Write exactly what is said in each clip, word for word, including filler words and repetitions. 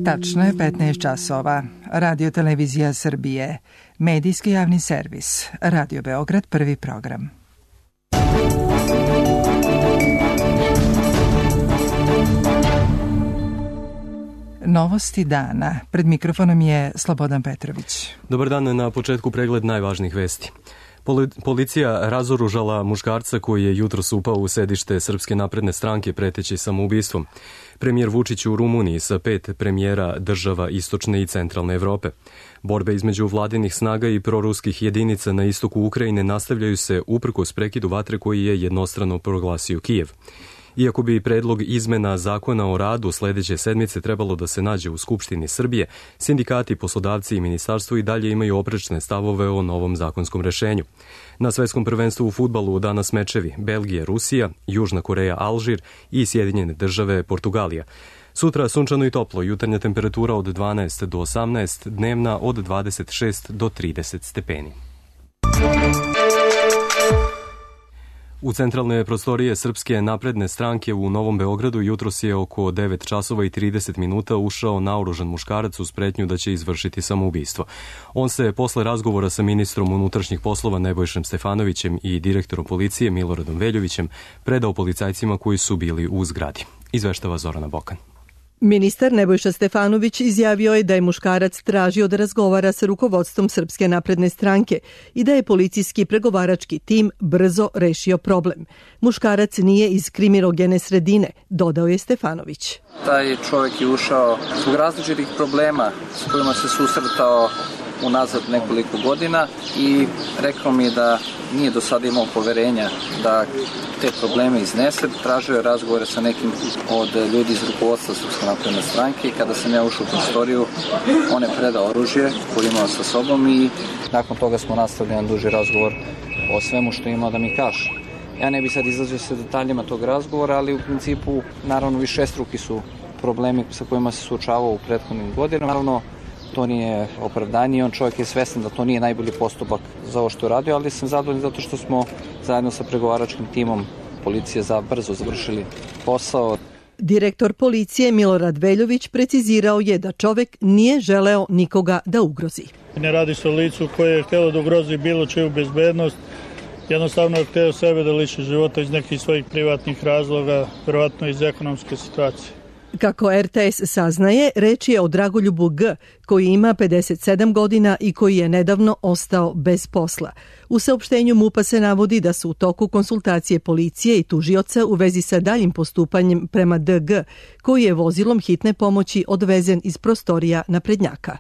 Tačno je petnaest časova. Radio Televizija Srbije. Medijski javni servis. Radio Beograd, prvi program. Novosti dana. Pred mikrofonom je Slobodan Petrović. Dobar dan, na početku pregled najvažnijih vesti. Policija razoružala muškarca koji je jutros upao u sedište Srpske napredne stranke preteći samoubistvom. Premijer Vučić u Rumuniji sa pet premijera država istočne i centralne Evrope. Borbe između vladinih snaga i proruskih jedinica na istoku Ukrajine nastavljaju se uprkos prekidu vatre koji je jednostrano proglasio Kijev. Iako bi predlog izmena zakona o radu sledeće sedmice trebalo da se nađe u Skupštini Srbije, sindikati, poslodavci i ministarstvo i dalje imaju oprečne stavove o novom zakonskom rešenju. Na svetskom prvenstvu u fudbalu danas mečevi Belgija, Rusija, Južna Koreja, Alžir i Sjedinjene države, Portugalija. Sutra sunčano i toplo, jutarnja temperatura od dvanaest do osamnaest, dnevna od dvadeset šest do trideset stepeni. U centralne prostorije Srpske napredne stranke u Novom Beogradu jutros je oko devet časova i trideset minuta ušao naoružan muškarac uz pretnju da će izvršiti samoubistvo. On se posle razgovora sa ministrom unutrašnjih poslova Nebojšem Stefanovićem i direktorom policije Miloradom Veljovićem predao policajcima koji su bili u zgradi. Izveštava Zorana Bokan. Ministar Nebojša Stefanović izjavio je da je muškarac tražio da razgovara sa rukovodstvom Srpske napredne stranke i da je policijski pregovarački tim brzo rešio problem. Muškarac nije iz kriminogene sredine, dodao je Stefanović. Taj čovjek je ušao zbog različitih problema s kojima se susretao unazad nekoliko godina i rekao mi je da nije do sada imao poverenja da te probleme iznese. Tražio je razgovore sa nekim od ljudi iz rukovodstva Srpske napredne stranke i kada sam ja ušao u prostoriju, on je predao oružje koje imao sa sobom i nakon toga smo nastavili jedan duži razgovor o svemu što je imao da mi kaže. Ja ne bih sad izlazio sa detaljima tog razgovora, ali u principu naravno višestruki su problemi sa kojima se suočavao u prethodnim godinama. Naravno, to nije opravdanje, on čovjek je svestan da to nije najbolji postupak za ovo što je radio, ali sam zadovoljan zato što smo zajedno sa pregovaračkim timom policije za brzo završili posao. Direktor policije Milorad Veljović precizirao je da čovjek nije želeo nikoga da ugrozi. Ne radi se o licu koje je htjelo da ugrozi bilo čiju bezbednost, jednostavno je htio sebe da liši života iz nekih svojih privatnih razloga, verovatno iz ekonomske situacije. Kako er te es saznaje, reč je o Dragoljubu G, koji ima pedeset sedam godina i koji je nedavno ostao bez posla. U saopštenju MUP-a se navodi da su u toku konsultacije policije i tužioca u vezi sa daljim postupanjem prema de ge, koji je vozilom hitne pomoći odvezen iz prostorija naprednjaka.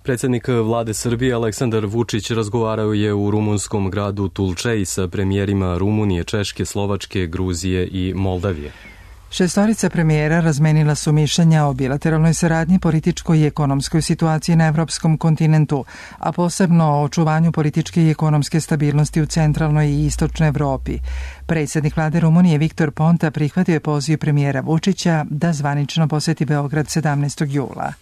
Predsjednik vlade Srbije Aleksandar Vučić razgovarao je u rumunskom gradu Tulčej sa premijerima Rumunije, Češke, Slovačke, Gruzije i Moldavije. Šestorica premijera razmenila su mišljenja o bilateralnoj saradnji, političkoj i ekonomskoj situaciji na evropskom kontinentu, a posebno o očuvanju političke i ekonomske stabilnosti u centralnoj i istočnoj Evropi. Predsjednik vlade Rumunije Viktor Ponta prihvatio je poziv premijera Vučića da zvanično poseti Beograd sedamnaestog jula.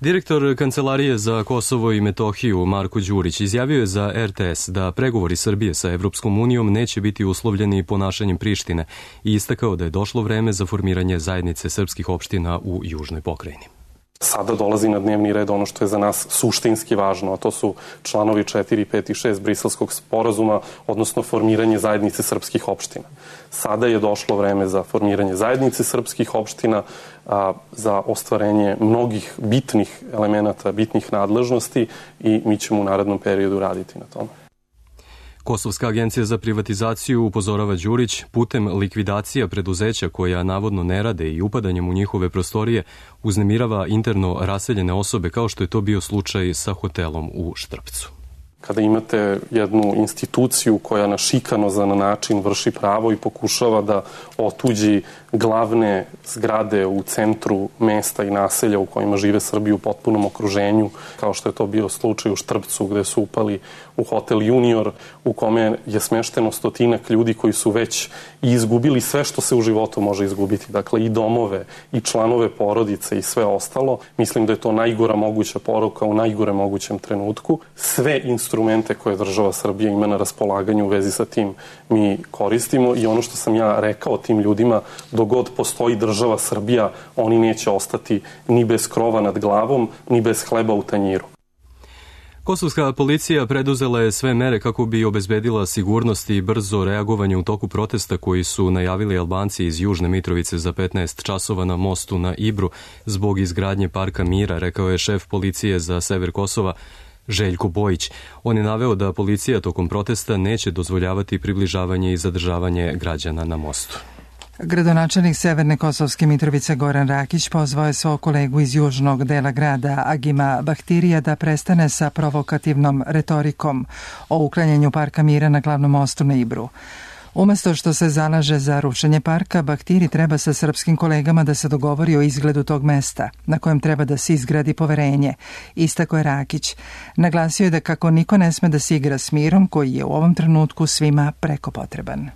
Direktor Kancelarije za Kosovo i Metohiju Marko Đurić izjavio je za er te es da pregovori Srbije sa Evropskom unijom neće biti uslovljeni ponašanjem Prištine i istakao da je došlo vreme za formiranje zajednice srpskih opština u južnoj pokrajini. Sada dolazi na dnevni red ono što je za nas suštinski važno, a to su članovi četiri, pet i šest Briselskog sporazuma, odnosno formiranje zajednice srpskih opština. Sada je došlo vreme za formiranje zajednice srpskih opština, a, za ostvarenje mnogih bitnih elemenata, bitnih nadležnosti i mi ćemo u narednom periodu raditi na tome. Kosovska agencija za privatizaciju, upozorava Đurić, putem likvidacija preduzeća koja navodno ne rade i upadanjem u njihove prostorije uznemirava interno raseljene osobe kao što je to bio slučaj sa hotelom u Štrpcu. Kada imate jednu instituciju koja na šikanozan način vrši pravo i pokušava da otuđi glavne zgrade u centru mesta i naselja u kojima žive Srbi u potpunom okruženju, kao što je to bio slučaj u Štrpcu gde su upali u hotel Junior u kome je smešteno stotinak ljudi koji su već i izgubili sve što se u životu može izgubiti, dakle i domove i članove porodice i sve ostalo. Mislim da je to najgora moguća poruka u najgore mogućem trenutku. Sve institucije instrumente koje država Srbija ima na raspolaganju u vezi sa tim mi koristimo i ono što sam ja rekao tim ljudima, dok god postoji država Srbija, oni neće ostati ni bez krova nad glavom, ni bez hleba u tanjiru. Kosovska policija preduzela je sve mere kako bi obezbedila sigurnost i brzo reagovanje u toku protesta koji su najavili Albanci iz Južne Mitrovice za petnaest časova na mostu na Ibru zbog izgradnje Parka mira, rekao je šef policije za sever Kosova Željko Bojić. On je naveo da policija tokom protesta neće dozvoljavati približavanje i zadržavanje građana na mostu. Gradonačelnik Severne Kosovske Mitrovice Goran Rakić pozvao je svog kolegu iz južnog dela grada Agima Bahtirija da prestane sa provokativnom retorikom o uklanjanju Parka mira na glavnom mostu na Ibru. Umesto što se zalaže za rušenje parka, Bahtiri treba sa srpskim kolegama da se dogovori o izgledu tog mesta, na kojem treba da se izgradi poverenje, istako je Rakić. Naglasio je da kako niko ne sme da se igra s mirom koji je u ovom trenutku svima preko potreban.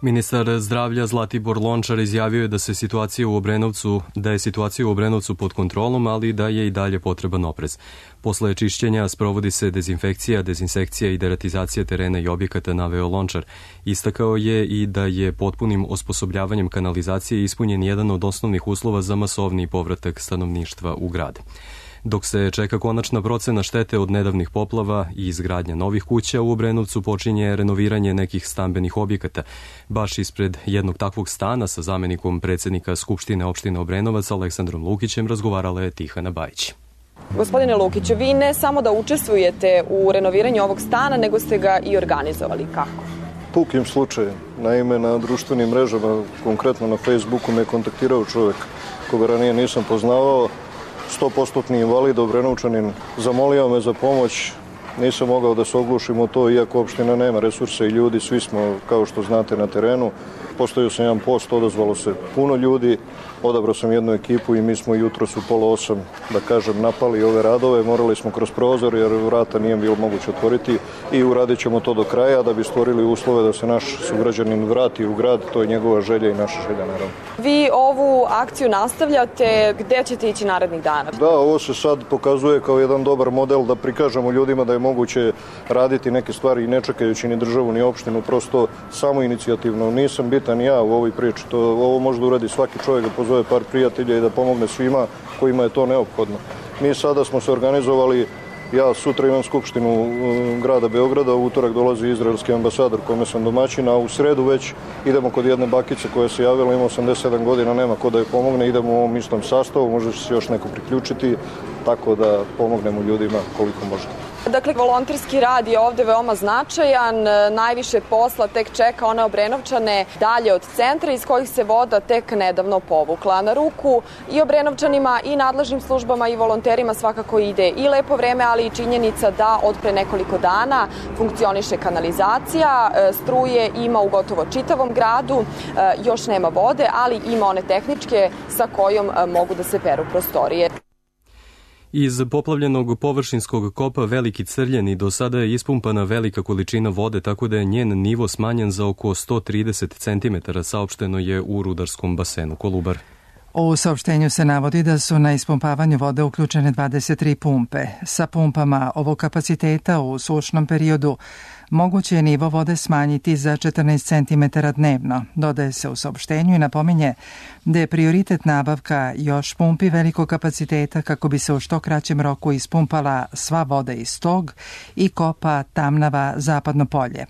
Ministar zdravlja Zlatibor Lončar izjavio je da se situacija u Obrenovcu, da je situacija u Obrenovcu pod kontrolom, ali da je i dalje potreban oprez. Posle čišćenja sprovodi se dezinfekcija, dezinsekcija i deratizacija terena i objekata, naveo Lončar. Istakao je i da je potpunim osposobljavanjem kanalizacije ispunjen jedan od osnovnih uslova za masovni povratak stanovništva u grad. Dok se čeka konačna procena štete od nedavnih poplava i izgradnja novih kuća, u Obrenovcu počinje renoviranje nekih stambenih objekata. Baš ispred jednog takvog stana sa zamenikom predsjednika Skupštine opštine Obrenovac Aleksandrom Lukićem razgovarala je Tihana Bajić. Gospodine Lukiću, vi ne samo da učestvujete u renoviranju ovog stana, nego ste ga i organizovali. Kako? Pukim slučajem. Naime, na društvenim mrežama, konkretno na Facebooku, me kontaktirao čovjek koga ranije nisam poznavao, sto posto invalid, Obrenovčanin, zamolio me za pomoć, nisam mogao da se oglušim u to, iako opština nema resursa i ljudi, svi smo, kao što znate, na terenu. Postavio sam jedan post, odazvalo se puno ljudi, odabrao sam jednu ekipu i mi smo jutros u pola osam, da kažem, napali ove radove, morali smo kroz prozor jer vrata nije bilo moguće otvoriti i uradit ćemo to do kraja da bi stvorili uslove da se naš sugrađanin vrati u grad, to je njegova želja i naša želja, naravno. Vi ovu akciju nastavljate, gde ćete ići narednih dana? Da, ovo se sad pokazuje kao jedan dobar model da prikažemo ljudima da je moguće raditi neke stvari i ne čekajući ni državu ni opštinu, prosto samo inicijativno. Nisam bitan ja u ovoj priči, to, ovo može da uradi svaki čovjek, da pozove par prijatelja i da pomogne svima kojima je to neophodno. Mi sada smo se organizovali, ja sutra imam skupštinu grada Beograda, u utorak dolazi izraelski ambasador kome sam domaćin, a u sredu već idemo kod jedne bakice koja se javila, ima osamdeset sedam godina, nema ko da je pomogne, idemo u ovom istom sastavu, može se još neko priključiti, tako da pomognemo ljudima koliko možemo. Dakle, volonterski rad je ovde veoma značajan, najviše posla tek čeka one Obrenovčane dalje od centra iz kojih se voda tek nedavno povukla. Na ruku i Obrenovčanima i nadležnim službama i volonterima svakako ide i lepo vreme, ali i činjenica da od pre nekoliko dana funkcioniše kanalizacija, struje ima u gotovo čitavom gradu, još nema vode, ali ima one tehničke sa kojom mogu da se peru prostorije. Iz poplavljenog površinskog kopa Veliki Crljeni do sada je ispumpana velika količina vode, tako da je njen nivo smanjen za oko sto trideset centimetara, saopšteno je u rudarskom basenu Kolubar. U saopštenju se navodi da su na ispumpavanju vode uključene dvadeset tri pumpe. Sa pumpama ovog kapaciteta u sušnom periodu moguće je nivo vode smanjiti za četrnaest centimetara dnevno, dodaje se u saopštenju i napominje da je prioritet nabavka još pumpi velikog kapaciteta kako bi se u što kraćem roku ispumpala sva voda iz tog i kopa Tamnava Zapadno polje.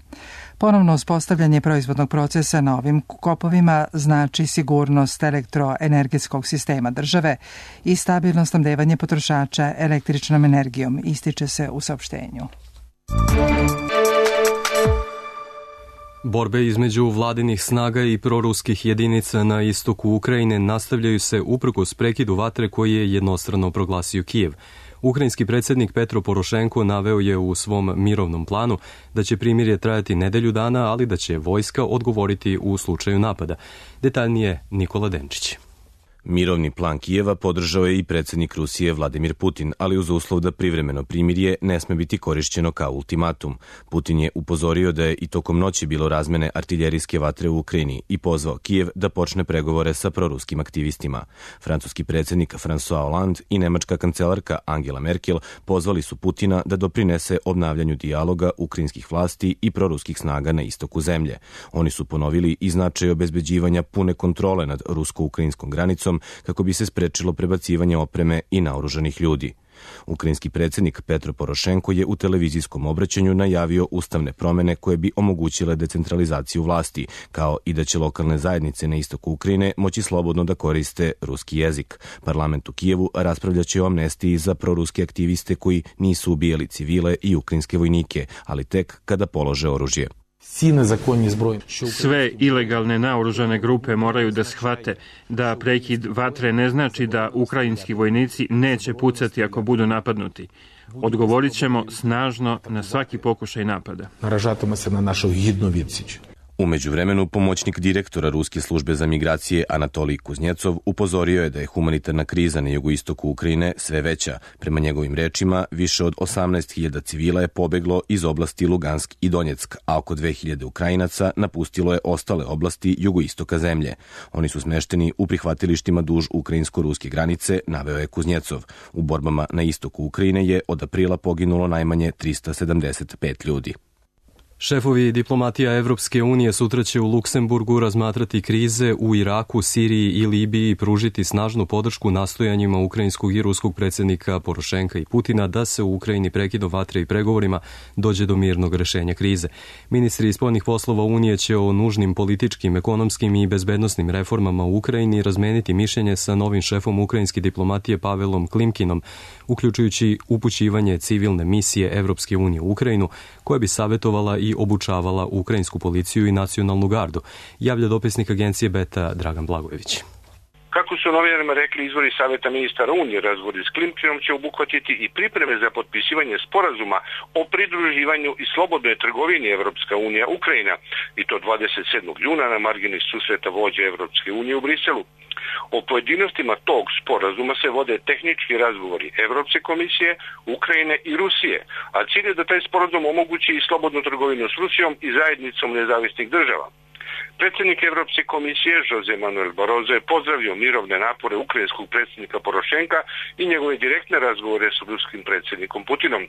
Ponovno uspostavljanje proizvodnog procesa na ovim kopovima znači sigurnost elektroenergetskog sistema države i stabilno snabdevanje potrošača električnom energijom, ističe se u saopštenju. Borbe između vladinih snaga i proruskih jedinica na istoku Ukrajine nastavljaju se uprkos prekidu vatre koji je jednostrano proglasio Kijev. Ukrajinski predsjednik Petro Porošenko naveo je u svom mirovnom planu da će primirje trajati nedelju dana, ali da će vojska odgovoriti u slučaju napada. Detaljnije Nikola Denčić. Mirovni plan Kijeva podržao je i predsjednik Rusije Vladimir Putin, ali uz uslov da privremeno primirje ne sme biti korišćeno kao ultimatum. Putin je upozorio da je i tokom noći bilo razmene artiljerijske vatre u Ukrajini i pozvao Kijev da počne pregovore sa proruskim aktivistima. Francuski predsjednik François Hollande i nemačka kancelarka Angela Merkel pozvali su Putina da doprinese obnavljanju dijaloga ukrajinskih vlasti i proruskih snaga na istoku zemlje. Oni su ponovili i značaj obezbeđivanja pune kontrole nad rusko-ukrajinskom granicom kako bi se sprečilo prebacivanje opreme i naoružanih ljudi. Ukrajinski predsjednik Petro Porošenko je u televizijskom obraćanju najavio ustavne promjene koje bi omogućile decentralizaciju vlasti, kao i da će lokalne zajednice na istoku Ukrajine moći slobodno da koriste ruski jezik. Parlament u Kijevu raspravljaće o amnestiji za proruske aktiviste koji nisu ubijali civile i ukrajinske vojnike, ali tek kada polože oružje. Sve ilegalne naoružane grupe moraju da shvate da prekid vatre ne znači da ukrajinski vojnici neće pucati ako budu napadnuti. Odgovorit ćemo snažno na svaki pokušaj napada. Naražatimo se na našu hidnu відсіч. U međuvremenu, pomoćnik direktora Ruske službe za migracije Anatolij Kuznjecov upozorio je da je humanitarna kriza na jugoistoku Ukrajine sve veća. Prema njegovim rečima, više od osamnaest hiljada civila je pobeglo iz oblasti Lugansk i Donjeck, a oko dve hiljade Ukrajinaca napustilo je ostale oblasti jugoistoka zemlje. Oni su smešteni u prihvatilištima duž ukrajinsko-ruske granice, naveo je Kuznjecov. U borbama na istoku Ukrajine je od aprila poginulo najmanje trista sedamdeset pet ljudi. Šefovi diplomatija Evropske unije sutra će u Luksemburgu razmatrati krize u Iraku, Siriji i Libiji i pružiti snažnu podršku nastojanjima ukrajinskog i ruskog predsjednika Porošenka i Putina da se u Ukrajini prekidom vatre i pregovorima dođe do mirnog rešenja krize. Ministri spoljnih poslova Unije će o nužnim političkim, ekonomskim i bezbednosnim reformama u Ukrajini razmeniti mišljenje sa novim šefom ukrajinske diplomatije Pavelom Klimkinom, uključujući upućivanje civilne misije Evropske unije u Ukrajinu, koja bi savjetovala i obučavala ukrajinsku policiju i nacionalnu gardu, javlja dopisnik agencije Beta Dragan Blagojević. Kako su novinarima rekli izvori Savjeta ministara Unije, razgovori s Klimkinom će obuhvatiti i pripreme za potpisivanje sporazuma o pridruživanju i slobodnoj trgovini Evropska unija Ukrajina, i to dvadeset sedmog juna na margini susreta vođa Evropske unije u Briselu. O pojedinostima tog sporazuma se vode tehnički razgovori Evropske komisije, Ukrajine i Rusije, a cilj je da taj sporazum omogući i slobodnu trgovinu s Rusijom i zajednicom nezavisnih država. Predsjednik Evropske komisije Jose Manuel Barroso je pozdravio mirovne napore ukrajinskog predsjednika Porošenka i njegove direktne razgovore s ruskim predsjednikom Putinom.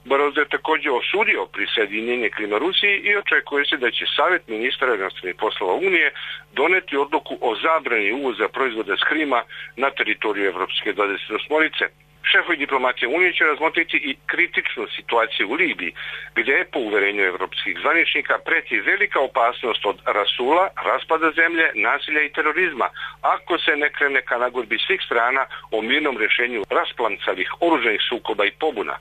Barroso je također osudio prisjedinjenje Krima Rusiji i očekuje se da će Savjet ministara inostranih poslova Unije doneti odluku o zabrani uvoza proizvoda s Krima na teritoriju Evropske dvadeset osmorice. Šefovi diplomatije Unije će razmotriti i kritičnu situaciju u Libiji, gdje je po uverenju evropskih zvaničnika preti velika opasnost od rasula, raspada zemlje, nasilja i terorizma, ako se ne krene ka nagodbi svih strana o mirnom rješenju rasplancavih oružanih sukoba i pobuna.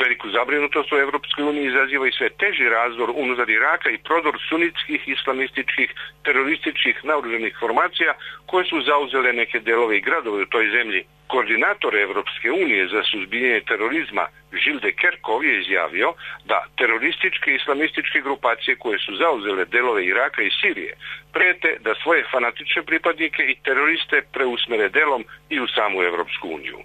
Veliku zabrinutost u Evropskoj uniji izaziva i sve teži razdor unutar Iraka i prodor sunitskih, islamističkih, terorističkih naoružanih formacija koje su zauzele neke delove i gradove u toj zemlji. Koordinator Evropske unije za suzbijanje terorizma Gilles de Kerchove je izjavio da terorističke i islamističke grupacije koje su zauzele delove Iraka i Sirije prete da svoje fanatične pripadnike i teroriste preusmere delom i u samu Evropsku uniju.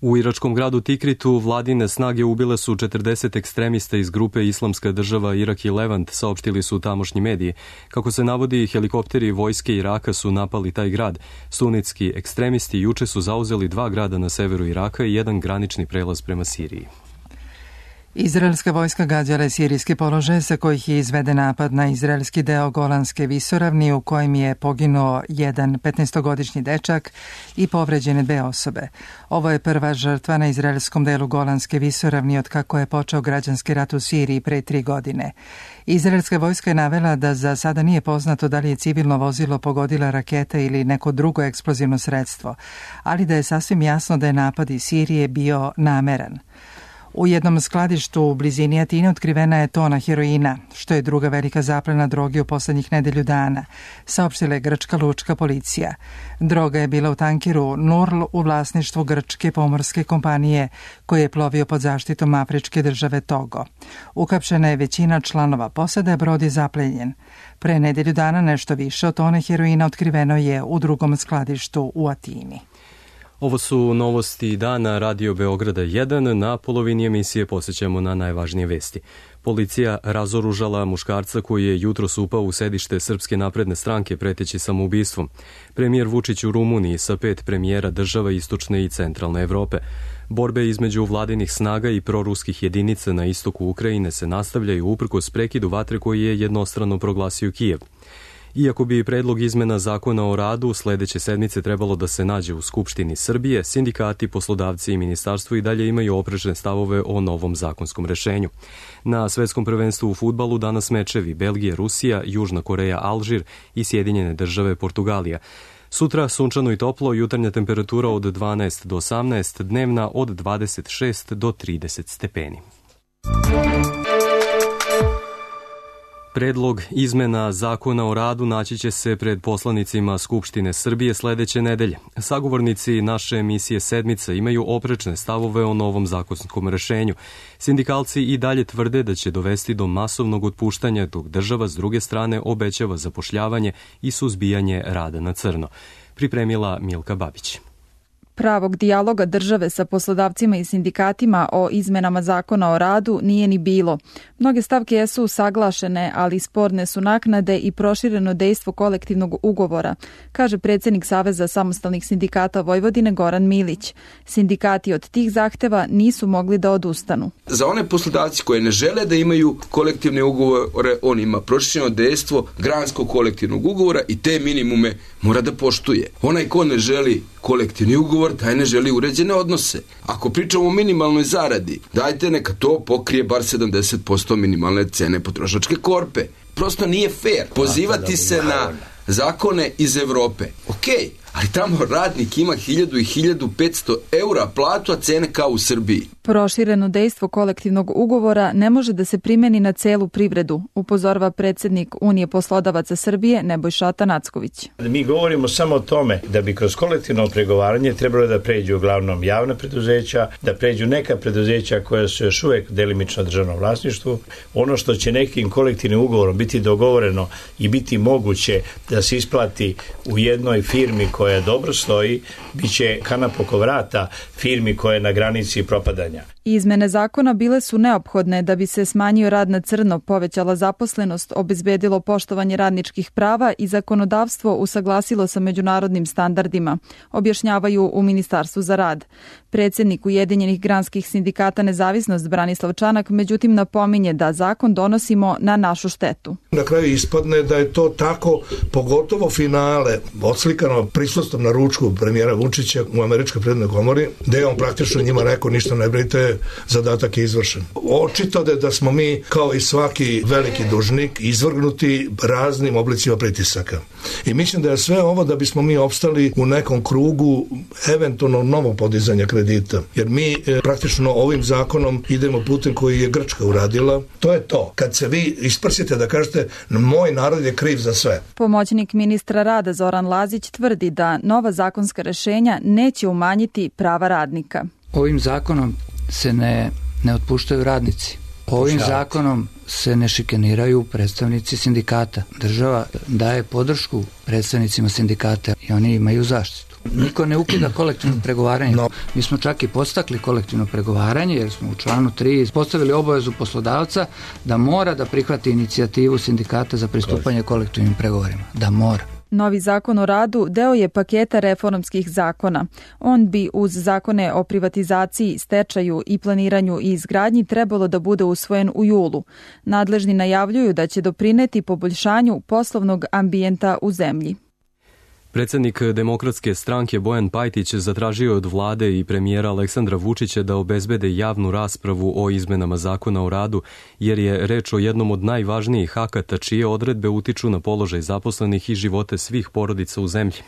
U iračkom gradu Tikritu vladine snage ubile su četrdeset ekstremista iz grupe Islamska država Irak i Levant, saopštili su tamošnji mediji. Kako se navodi, helikopteri vojske Iraka su napali taj grad. Sunitski ekstremisti juče su zauzeli dva grada na severu Iraka i jedan granični prelaz prema Siriji. Izraelska vojska gađala je sirijski položaj sa kojih je izveden napad na izraelski deo Golanske visoravni u kojem je poginuo jedan petnaestogodišnji dečak i povređene dve osobe. Ovo je prva žrtva na izraelskom delu Golanske visoravni od kako je počeo građanski rat u Siriji pre tri godine. Izraelska vojska je navela da za sada nije poznato da li je civilno vozilo pogodila raketa ili neko drugo eksplozivno sredstvo, ali da je sasvim jasno da je napad iz Sirije bio nameran. U jednom skladištu u blizini Atine otkrivena je tona heroina, što je druga velika zaplena droge u poslednjih nedelju dana, saopštila je grčka lučka policija. Droga je bila u tankeru Nurl u vlasništvu grčke pomorske kompanije koji je plovio pod zaštitom afričke države Togo. Ukapšena je većina članova posade, a brod je zaplenjen. Pre nedelju dana nešto više od tone heroina otkriveno je u drugom skladištu u Atini. Ovo su novosti dana Radio Beograda jedan. Na polovini emisije posjećamo na najvažnije vesti. Policija razoružala muškarca koji je jutros upao u sedište Srpske napredne stranke preteći samoubistvom. Premijer Vučić u Rumuniji sa pet premijera država istočne i centralne Evrope. Borbe između vladinih snaga i proruskih jedinica na istoku Ukrajine se nastavljaju uprkos prekidu vatre koji je jednostrano proglasio Kijev. Iako bi predlog izmena zakona o radu sledeće sedmice trebalo da se nađe u Skupštini Srbije, sindikati, poslodavci i ministarstvo i dalje imaju oprečne stavove o novom zakonskom rešenju. Na svetskom prvenstvu u fudbalu danas mečevi Belgija, Rusija, Južna Koreja, Alžir i Sjedinjene države Portugalija. Sutra sunčano i toplo, jutarnja temperatura od dvanaest do osamnaest, dnevna od dvadeset šest do trideset stepeni. Predlog izmena zakona o radu naći će se pred poslanicima Skupštine Srbije sledeće nedelje. Sagovornici naše emisije Sedmica imaju oprečne stavove o novom zakonskom rešenju. Sindikalci i dalje tvrde da će dovesti do masovnog otpuštanja, dok država s druge strane obećava zapošljavanje i suzbijanje rada na crno. Pripremila Milka Babić. Pravog dijaloga države sa poslodavcima i sindikatima o izmenama zakona o radu nije ni bilo. Mnoge stavke jesu usaglašene, ali sporne su naknade i prošireno dejstvo kolektivnog ugovora, kaže predsjednik Saveza samostalnih sindikata Vojvodine Goran Milić. Sindikati od tih zahteva nisu mogli da odustanu. Za one poslodavci koje ne žele da imaju kolektivne ugovore, on ima prošireno dejstvo granskog kolektivnog ugovora i te minimume mora da poštuje. Onaj ko ne želi kolektivni ugovor, taj ne želi uređene odnose. Ako pričamo o minimalnoj zaradi, dajte neka to pokrije bar sedamdeset posto minimalne cene potrošačke korpe. Prosto nije fair pozivati se na zakone iz Evrope. Okej, ali tamo radnik ima hiljadu i hiljadu petsto eura platu, a cene kao u Srbiji. Prošireno dejstvo kolektivnog ugovora ne može da se primeni na celu privredu, upozorava predsjednik Unije poslodavaca Srbije Nebojša Tanacković. Mi govorimo samo o tome da bi kroz kolektivno pregovaranje trebalo da pređu uglavnom javna preduzeća, da pređu neka preduzeća koja su još uvek delimično državno vlasništvu. Ono što će nekim kolektivnim ugovorom biti dogovoreno i biti moguće da se isplati u jednoj firmi koja dobro stoji, bit će kanap oko vrata firmi koja je na granici propadanja. Izmene zakona bile su neophodne da bi se smanjio rad na crno, povećala zaposlenost, obezbedilo poštovanje radničkih prava i zakonodavstvo usaglasilo sa međunarodnim standardima, objašnjavaju u Ministarstvu za rad. Predsjednik Ujedinjenih granskih sindikata Nezavisnost Branislav Čanak međutim napominje da zakon donosimo na našu štetu. Na kraju ispadne da je to tako, pogotovo finale, odslikano prisustvom na ručku premijera Vučića u Američkoj privrednoj komori, gde je on praktično njima rekao ništa ne brinite, zadatak je izvršen. Očito je da smo mi, kao i svaki veliki dužnik, izvrgnuti raznim oblicima pritisaka. I mislim da je sve ovo da bismo mi opstali u nekom krugu eventualno novog podizanja kredita. Jer mi e, praktično ovim zakonom idemo putem koji je Grčka uradila. To je to. Kad se vi isprsite da kažete moj narod je kriv za sve. Pomoćnik ministra rada Zoran Lazić tvrdi da nova zakonska rešenja neće umanjiti prava radnika. Ovim zakonom se ne, ne otpuštaju radnici. Ovim zakonom se ne šikaniraju predstavnici sindikata. Država daje podršku predstavnicima sindikata i oni imaju zaštitu. Niko ne ukida kolektivno pregovaranje. No. Mi smo čak i podstakli kolektivno pregovaranje jer smo u članu tri postavili obavezu poslodavca da mora da prihvati inicijativu sindikata za pristupanje kolektivnim pregovorima. Da mora. Novi zakon o radu deo je paketa reformskih zakona. On bi uz zakone o privatizaciji, stečaju i planiranju i izgradnji trebalo da bude usvojen u julu. Nadležni najavljuju da će doprineti poboljšanju poslovnog ambijenta u zemlji. Predsjednik Demokratske stranke Bojan Pajtić zatražio od vlade i premijera Aleksandra Vučića da obezbede javnu raspravu o izmenama zakona o radu, jer je reč o jednom od najvažnijih akata čije odredbe utiču na položaj zaposlenih i živote svih porodica u zemlji.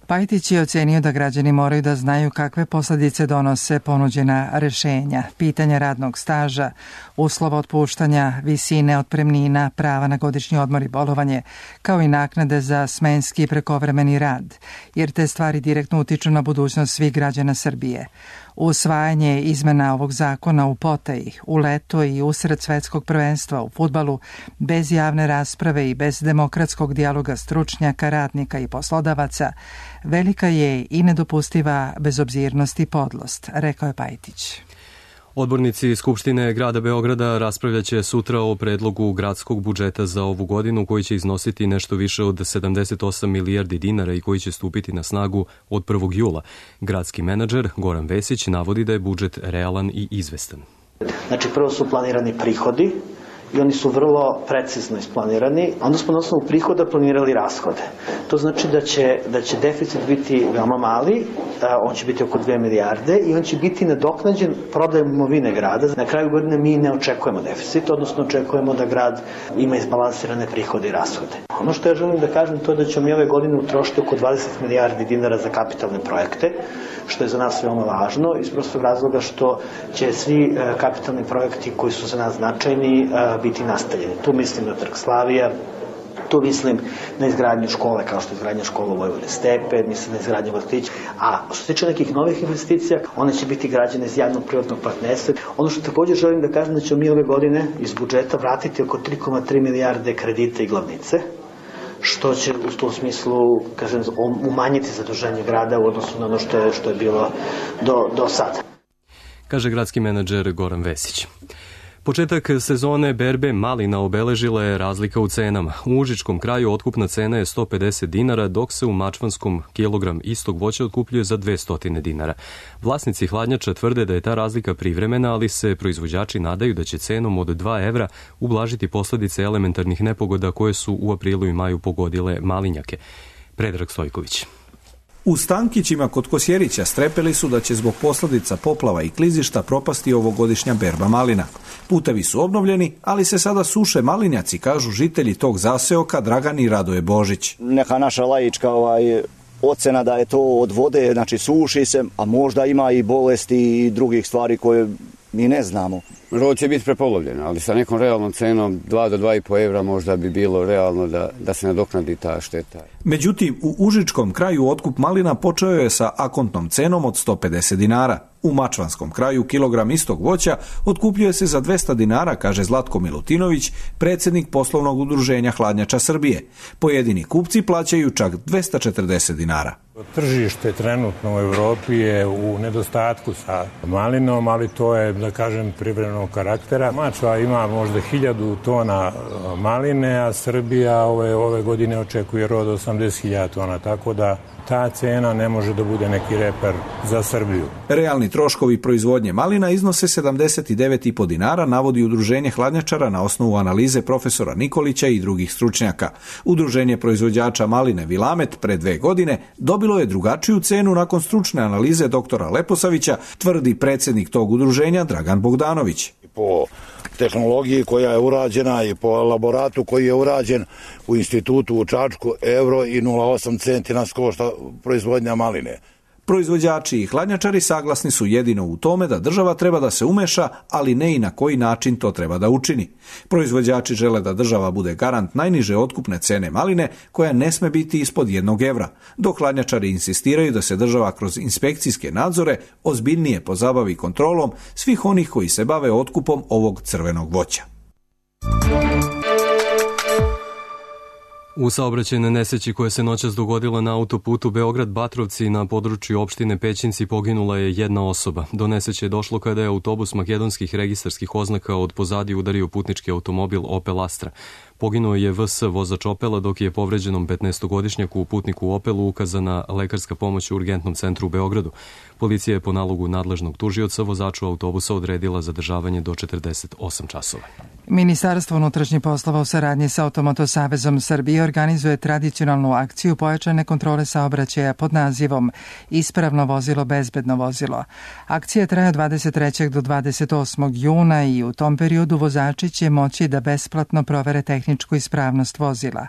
Pajtić je ocenio da građani moraju da znaju kakve posledice donose ponuđena rešenja, pitanja radnog staža, uslova otpuštanja, visine otpremnina, prava na godišnji odmor i bolovanje, kao i naknade za smenski i prekovremeni rad, jer te stvari direktno utiču na budućnost svih građana Srbije. Usvajanje izmena ovog zakona u potaji, u leto i usred svetskog prvenstva u fudbalu, bez javne rasprave i bez demokratskog dijaloga stručnjaka, radnika i poslodavaca, velika je i nedopustiva bezobzirnost i podlost, rekao je Pajtić. Odbornici Skupštine grada Beograda raspravljaće sutra o predlogu gradskog budžeta za ovu godinu koji će iznositi nešto više od sedamdeset osam milijardi dinara i koji će stupiti na snagu od prvog jula. Gradski menadžer Goran Vesić navodi da je budžet realan i izvestan. Znači, prvo su planirani prihodi i oni su vrlo precizno isplanirani. Onda smo na osnovu prihoda planirali rashode. To znači da će, da će deficit biti veoma mali, on će biti oko dve milijarde i on će biti nadoknađen prodajom imovine grada. Na kraju godine mi ne očekujemo deficit, odnosno očekujemo da grad ima izbalansirane prihode i rashode. Ono što ja želim da kažem to je da ćemo mi ove godine utrošiti oko dvadeset milijardi dinara za kapitalne projekte, što je za nas veoma važno, iz prostog razloga što će svi kapitalni projekti koji su za nas značajni biti nastavljeni. Tu mislim na Trg Slavija, tu mislim na izgradnju škole kao što je izgradnja škola u Vojvodine Stepe, mislim na izgradnju vrtića. A što se tiče nekih novih investicija, one će biti građene iz javnog privatnog partnerstva. Ono što također želim da kažem da ćemo mi ove godine iz budžeta vratiti oko tri zarez tri milijarde kredita i glavnice, što će u tom smislu, kažem, umanjiti zaduženje grada u odnosu na ono što je, što je bilo do, do sada. Kaže gradski menadžer Goran Vesić. Početak sezone berbe malina obeležila je razlika u cenama. U Užičkom kraju otkupna cena je sto pedeset dinara, dok se u Mačvanskom kilogram istog voća otkupljuje za dvesta dinara. Vlasnici hladnjača tvrde da je ta razlika privremena, ali se proizvođači nadaju da će cenom od dva evra ublažiti posledice elementarnih nepogoda koje su u aprilu i maju pogodile malinjake. Predrag Stojković. U Stankićima kod Kosjerića strepeli su da će zbog posljedica poplava i klizišta propasti ovogodišnja berba malina. Putevi su obnovljeni, ali se sada suše malinjaci, kažu žitelji tog zaseoka Dragan i Radoje Božić. Neka naša laička ovaj, ocena da je to od vode, znači suši se, a možda ima i bolesti i drugih stvari koje mi ne znamo. Rod će biti prepolovljen, ali sa nekom realnom cenom dva do dva i po evra možda bi bilo realno da, da se nadoknadi ta šteta. Međutim, u Užičkom kraju otkup malina počeo je sa akontnom cenom od sto pedeset dinara. U Mačvanskom kraju kilogram istog voća otkupljuje se za dvesta dinara, kaže Zlatko Milutinović, predsjednik poslovnog udruženja Hladnjača Srbije. Pojedini kupci plaćaju čak dvesta četrdeset dinara. Tržište trenutno u Evropi je u nedostatku sa malinom, ali to je, da kažem, privremenog karaktera. Mačva ima možda hiljadu tona maline, a Srbija ove, ove godine očekuje rod osamdeset hiljada tona, tako da ta cena ne može da bude neki reper za Srbiju. Realni troškovi proizvodnje malina iznose sedamdeset devet zarez pet dinara, navodi Udruženje hladnjačara na osnovu analize profesora Nikolića i drugih stručnjaka. Udruženje proizvođača maline Vilamet pre dve godine dobilo je drugačiju cenu nakon stručne analize doktora Leposavića, tvrdi predsjednik tog udruženja Dragan Bogdanović. Po tehnologiji koja je urađena i po elaboratu koji je urađen u institutu u Čačku, euro i nula zarez osam centi nas košta proizvodnja maline. Proizvođači i hladnjačari saglasni su jedino u tome da država treba da se umeša, ali ne i na koji način to treba da učini. Proizvođači žele da država bude garant najniže otkupne cene maline, koja ne sme biti ispod jednog evra, dok hladnjačari insistiraju da se država kroz inspekcijske nadzore ozbiljnije pozabavi kontrolom svih onih koji se bave otkupom ovog crvenog voća. U saobraćajnoj nesreći koja se noćas dogodila na autoputu Beograd-Batrovci na području opštine Pećinci poginula je jedna osoba. Do nesreće je došlo kada je autobus makedonskih registarskih oznaka od pozadi udario putnički automobil Opel Astra. Poginuo je V S vozač Opela, dok je povređenom petnaestogodišnjaku putniku u Opelu ukazana lekarska pomoć u urgentnom centru u Beogradu. Policija je po nalogu nadležnog tužioca vozaču autobusa odredila zadržavanje do četrdeset osam časova. Ministarstvo unutrašnjih poslova u saradnji sa Automoto savezom Srbije organizuje tradicionalnu akciju pojačane kontrole saobraćaja pod nazivom Ispravno vozilo, bezbedno vozilo. Akcija traje od dvadeset trećeg do dvadeset osmog juna i u tom periodu vozači će moći da besplatno provere tehničku tehničku ispravnost vozila.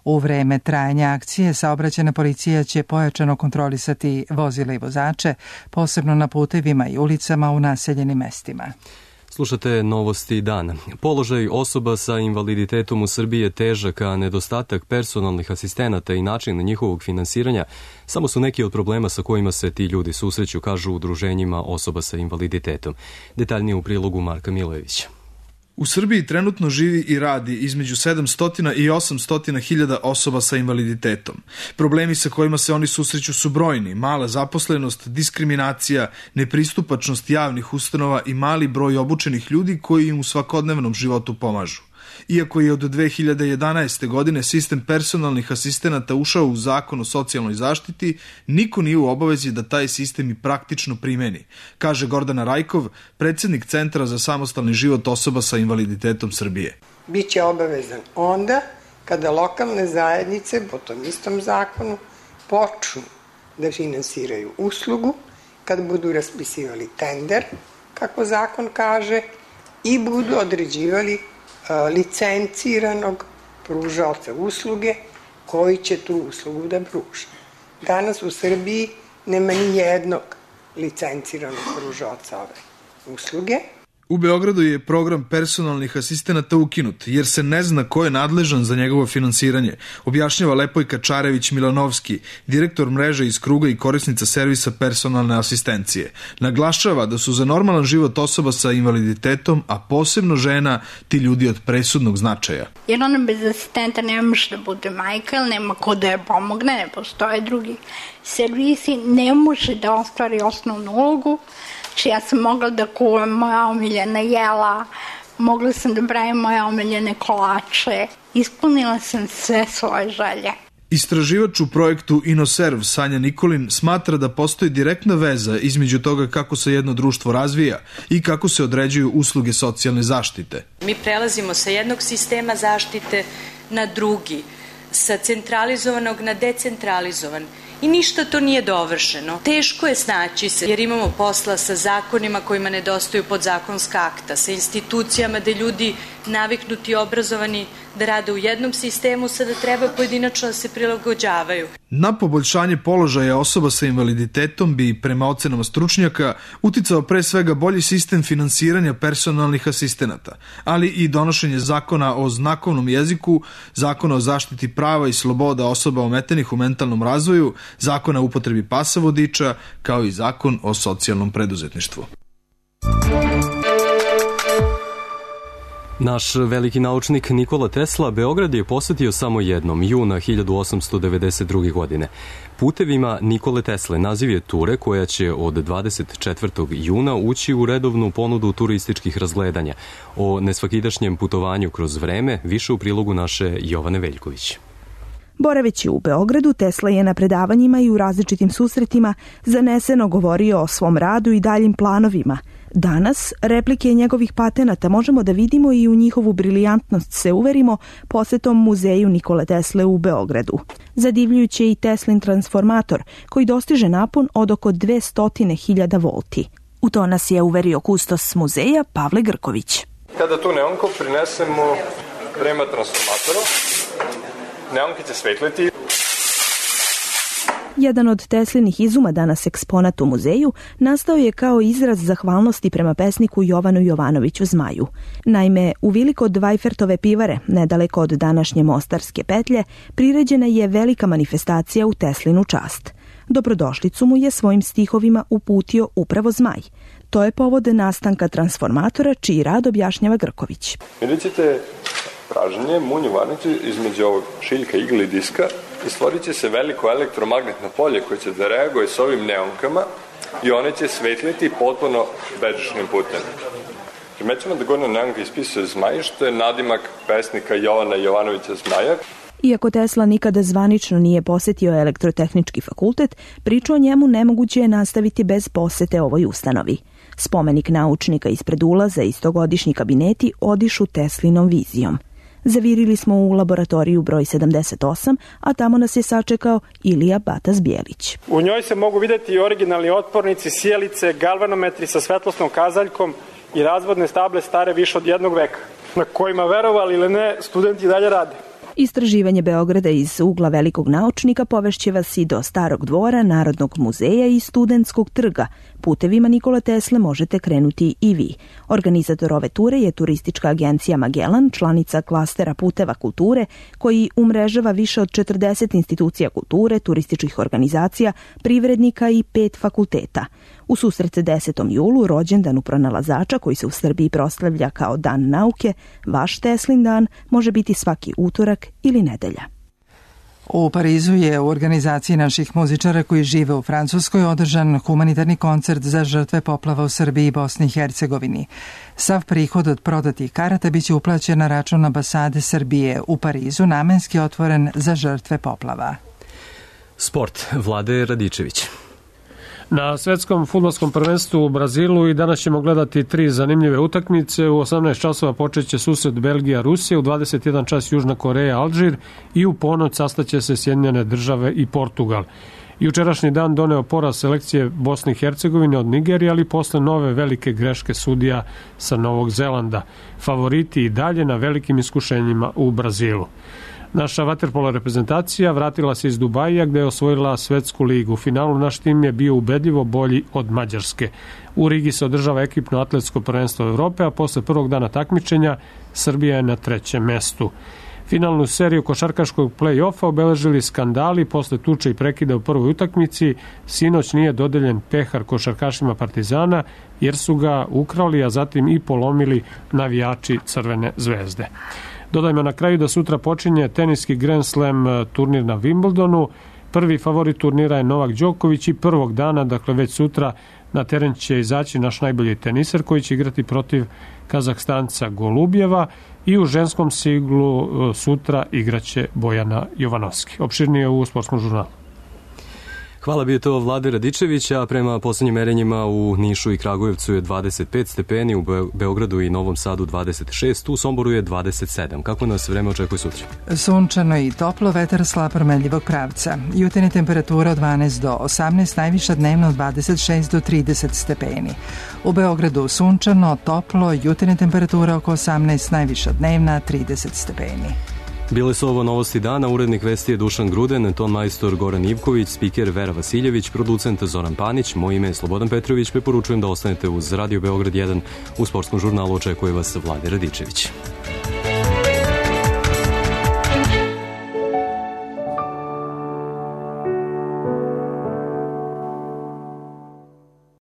U vreme trajanja akcije saobraćajna policija će pojačano kontrolisati vozila i vozače, posebno na putevima i ulicama u naseljenim mestima. Slušate Novosti dana. Položaj osoba sa invaliditetom u Srbiji je težak, a nedostatak personalnih asistenata i način njihovog finansiranja samo su neki od problema sa kojima se ti ljudi susreću, kažu udruženjima osoba sa invaliditetom. Detaljnije u prilogu Marka Milojevića. U Srbiji trenutno živi i radi između sedamsto i osamsto hiljada osoba sa invaliditetom. Problemi sa kojima se oni susreću su brojni: mala zaposlenost, diskriminacija, nepristupačnost javnih ustanova i mali broj obučenih ljudi koji im u svakodnevnom životu pomažu. Iako je od dve hiljade jedanaeste. godine sistem personalnih asistenata ušao u Zakon o socijalnoj zaštiti, niko nije u obavezi da taj sistem i praktično primeni, kaže Gordana Rajkov, predsjednik Centra za samostalni život osoba sa invaliditetom Srbije. Biće obavezan onda kada lokalne zajednice po tom istom zakonu počnu da finansiraju uslugu, kada budu raspisivali tender, kako zakon kaže, i budu određivali licenciranog pružaoca usluge koji će tu uslugu da pruža. Danas u Srbiji nema ni jednog licenciranog pružaoca ove usluge. U Beogradu je program personalnih asistenata ukinut, jer se ne zna ko je nadležan za njegovo finansiranje, objašnjava Lepojka Čarević-Milanovski, direktor mreže iz kruga i korisnica servisa personalne asistencije. Naglašava da su za normalan život osoba sa invaliditetom, a posebno žena, ti ljudi od presudnog značaja. Jer ona bez asistenta ne može da bude majka, ili nema ko da je pomogne, ne postoje drugi servisi, ne može da ostvari osnovnu ulogu. Znači, ja sam mogla da kuvam moja omiljena jela, mogla sam da pravim moje omiljene kolače, ispunila sam sve svoje želje. Istraživač u projektu InnoServ Sanja Nikolin smatra da postoji direktna veza između toga kako se jedno društvo razvija i kako se određuju usluge socijalne zaštite. Mi prelazimo sa jednog sistema zaštite na drugi, sa centralizovanog na decentralizovan. I ništa to nije dovršeno. Teško je snaći se jer imamo posla sa zakonima kojima nedostaju podzakonska akta, sa institucijama gde ljudi naviknuti i obrazovani da rade u jednom sistemu, sada treba pojedinačno da se prilagođavaju. Na poboljšanje položaja osoba sa invaliditetom bi, prema ocenama stručnjaka, uticao pre svega bolji sistem finansiranja personalnih asistenata, ali i donošenje zakona o znakovnom jeziku, zakona o zaštiti prava i sloboda osoba ometenih u mentalnom razvoju, zakona o upotrebi pasa vodiča, kao i zakon o socijalnom preduzetništvu. Naš veliki naučnik Nikola Tesla Beograd je posetio samo jednom, juna hiljadu osamsto devedeset druge. godine. Putevima Nikole Tesle naziv je ture koja će od dvadeset četvrtog juna ući u redovnu ponudu turističkih razgledanja. O nesvakidašnjem putovanju kroz vreme više u prilogu naše Jovane Veljković. Boraveći u Beogradu, Tesla je na predavanjima i u različitim susretima zaneseno govorio o svom radu i daljim planovima. Danas replike njegovih patenata možemo da vidimo i u njihovu brilijantnost se uverimo posetom muzeju Nikole Tesle u Beogradu. Zadivljujući je i Teslin transformator koji dostiže napon od oko dvesta hiljada volti. U to nas je uverio kustos muzeja Pavle Grković. Kada tu neonko prinesemo prema transformatoru, neonke će svetliti. Jedan od Teslinih izuma, danas eksponat u muzeju, nastao je kao izraz zahvalnosti prema pesniku Jovanu Jovanoviću Zmaju. Naime, u vili kod Vajfertove pivare, nedaleko od današnje Mostarske petlje, priređena je velika manifestacija u Teslinu čast. Dobrodošlicu mu je svojim stihovima uputio upravo Zmaj. To je povod nastanka transformatora, čiji rad objašnjava Grković. Vidjet ćete praženje, munju varnicu između ovog šiljka, igle i diska i stvorit će se veliko elektromagnetno polje koje će da reaguje s ovim neonkama i one će svetliti potpuno bežičnim putem. Primećemo da gornja neonka ispisuje Zmaj, što je nadimak pesnika Jovana Jovanovića Zmaja. Iako Tesla nikada zvanično nije posetio elektrotehnički fakultet, priču o njemu nemoguće je nastaviti bez posete ovoj ustanovi. Spomenik naučnika ispred ulaza i stogodišnji kabineti odišu Teslinom vizijom. Zavirili smo u laboratoriju broj sedamdeset osam, a tamo nas je sačekao Ilija Batas-Bijelić. U njoj se mogu vidjeti i originalni otpornici, sjelice, galvanometri sa svetlosnom kazaljkom i razvodne stable stare više od jednog veka. na kojima, verovali ili ne, studenti dalje rade. Istraživanje Beograda iz ugla velikog naučnika povešće vas i do Starog dvora, Narodnog muzeja i Studentskog trga. Putevima Nikola Tesle možete krenuti i vi. Organizator ove ture je turistička agencija Magellan, članica klastera puteva kulture, koji umrežava više od četrdeset institucija kulture, turističkih organizacija, privrednika i pet fakulteta. U susret desetom julu, rođendanu pronalazača koji se u Srbiji proslavlja kao Dan nauke, vaš Teslin dan može biti svaki utorak ili nedelja. U Parizu je u organizaciji naših muzičara koji žive u Francuskoj održan humanitarni koncert za žrtve poplava u Srbiji i Bosni i Hercegovini. Sav prihod od prodatih karata biće uplaćen na račun ambasade Srbije u Parizu, namenski otvoren za žrtve poplava. Sport. Vlade Radičević. Na svetskom fudbalskom prvenstvu u Brazilu i danas ćemo gledati tri zanimljive utakmice. U osamnaest časova počeće susret Belgija-Rusija, u dvadeset jedan čas Južna Koreja-Alžir i u ponoć sastaće se Sjedinjene države i Portugal. Jučerašnji dan doneo poraz selekcije Bosne i Hercegovine od Nigerije, ali posle nove velike greške sudija sa Novog Zelanda. Favoriti i dalje na velikim iskušenjima u Brazilu. Naša vaterpolo reprezentacija vratila se iz Dubaija gde je osvojila svetsku ligu. U finalu naš tim je bio ubedljivo bolji od Mađarske. U Rigi se održava ekipno atletsko prvenstvo Evrope, a posle prvog dana takmičenja Srbija je na trećem mestu. Finalnu seriju košarkaškog play-offa obeležili skandali posle tuče i prekida u prvoj utakmici. Sinoć nije dodeljen pehar košarkašima Partizana jer su ga ukrali, a zatim i polomili navijači Crvene zvezde. Dodajmo na kraju da sutra počinje teniski Grand Slam turnir na Wimbledonu. Prvi favorit turnira je Novak Đoković i prvog dana, dakle već sutra, na teren će izaći naš najbolji teniser koji će igrati protiv Kazahstanca Golubjeva i u ženskom siglu sutra igraće Bojana Jovanovski. Opširnije u Sportskom žurnalu. Hvala, bio to Vlade Radičević, a prema poslednjim merenjima u Nišu i Kragujevcu je dvadeset pet stepeni, u Beogradu i Novom Sadu dvadeset šest, u Somboru je dvadeset sedam. Kako nas vreme očekuje sutra? Sunčano i toplo, vetar slab promenljivog pravca. Jutarnja temperatura od dvanaest do osamnaest, najviša dnevno od dvadeset šest do trideset stepeni. U Beogradu sunčano, toplo, jutarnja temperatura oko osamnaest, najviša dnevna trideset stepeni. Bile su ovo novosti dana, urednik vesti je Dušan Gruden, ton majstor Goran Ivković, spiker Vera Vasiljević, producent Zoran Panić, moje ime je Slobodan Petrović, preporučujem da ostanete uz Radio Beograd jedan, u Sportskom žurnalu očekuje vas Vlade Radičević.